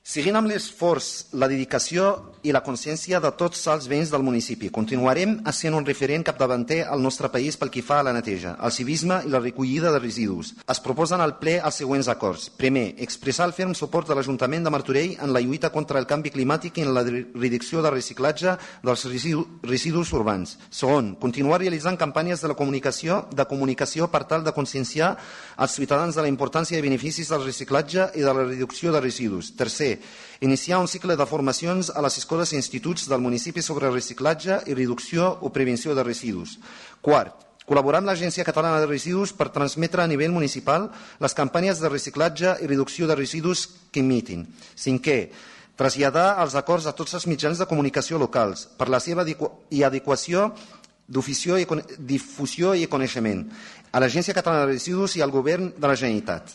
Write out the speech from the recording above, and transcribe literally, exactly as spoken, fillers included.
Seguint amb l'esforç, la dedicació i la consciència de tots els veïns del municipi, continuarem sent un referent capdavanter al nostre país pel que fa a la neteja, al civisme i la recollida de residus. Es proposen al ple els següents acords. Primer, expressar el ferm suport de l'Ajuntament de Martorell en la lluita contra el canvi climàtic i en la reducció de reciclatge dels residus urbans. Segon, continuar realitzant campanyes de la comunicació, de comunicació per tal de conscienciar els ciutadans de la importància i beneficis del reciclatge i de la reducció de residus. Tercer, iniciar un cicle de formacions a les escoles i instituts del municipi sobre reciclatge i reducció o prevenció de residus. Quart, col·laborar amb l'Agència Catalana de Residus per transmetre a nivell municipal les campanyes de reciclatge i reducció de residus que emitin. Cinquè, traslladar els acords a tots els mitjans de comunicació locals per la seva adequació, difusió i coneixement a l'Agència Catalana de Residus i al Govern de la Generalitat.